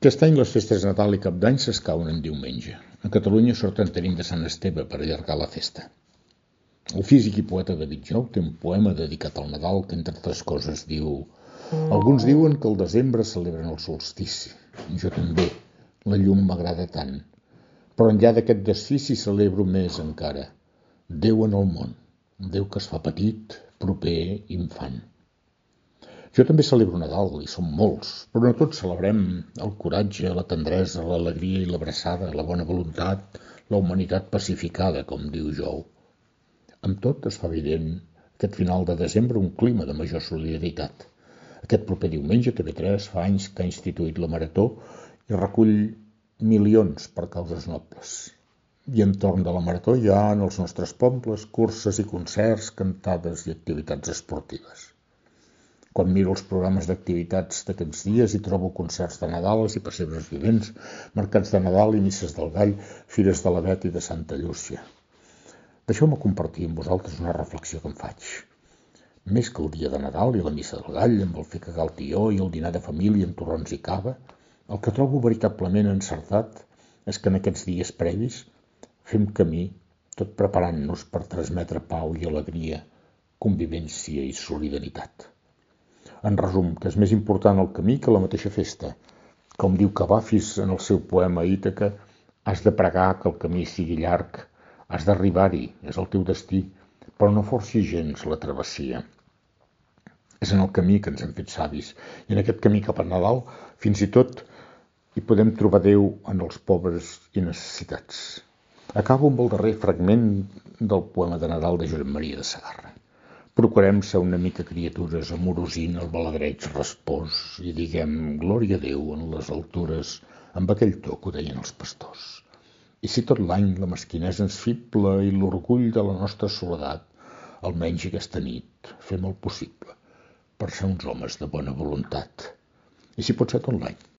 Aquest any les festes de Nadal i Cap d'Any s'escauen en diumenge. A Catalunya sort en tenim de Sant Esteve per allargar la festa. El físic i poeta David Jou té un poema dedicat al Nadal que, entre altres coses, diu: alguns diuen que al desembre celebren el solstici. Jo també. La llum m'agrada tant. Però enllà d'aquest desfici celebro més encara. Déu en el món. Déu que es fa petit, proper, infant. Jo també celebro Nadal, i som molts, però no tots celebrem el coratge, la tendresa, l'alegria i l'abraçada, la bona voluntat, la humanitat pacificada, com diu Jou. Amb tot es fa evident aquest final de desembre un clima de major solidaritat. Aquest proper diumenge TV3 fa anys que ha instituït la Marató i recull milions per causes nobles. I entorn de la Marató hi ha en els nostres pobles curses i concerts, cantades i activitats esportives. Quan miro els programes d'activitats d'aquests dies hi trobo concerts de Nadal i pessebres vivents, mercats de Nadal i misses del Gall, fires de l'Avet i de Santa Llúcia. Deixeu-me compartir amb vosaltres una reflexió que em faig. Més que el dia de Nadal i la missa del Gall, amb el fer cagar el tió i el dinar de família amb torrons i cava, el que trobo veritablement encertat és que en aquests dies previs fem camí, tot preparant-nos per transmetre pau i alegria, convivència i solidaritat. En resum, que és més important el camí que la mateixa festa. Com diu Cavafis en el seu poema Ítaca, has de pregar que el camí sigui llarg, has d'arribar-hi, és el teu destí, però no forcis gens la travessia. És en el camí que ens hem fet savis, i en aquest camí cap a Nadal, fins i tot, hi podem trobar Déu en els pobres i necessitats. Acabo amb el darrer fragment del poema de Nadal de Josep Maria de Sagarra. Procurem ser una mica criatures amorosint el baladreig respòs i diguem glòria a Déu en les altures amb aquell to que ho deien els pastors. I si tot l'any la mesquinesa ens fibla i l'orgull de la nostra soledat, almenys aquesta nit fem el possible per ser uns homes de bona voluntat. I si pot ser tot l'any.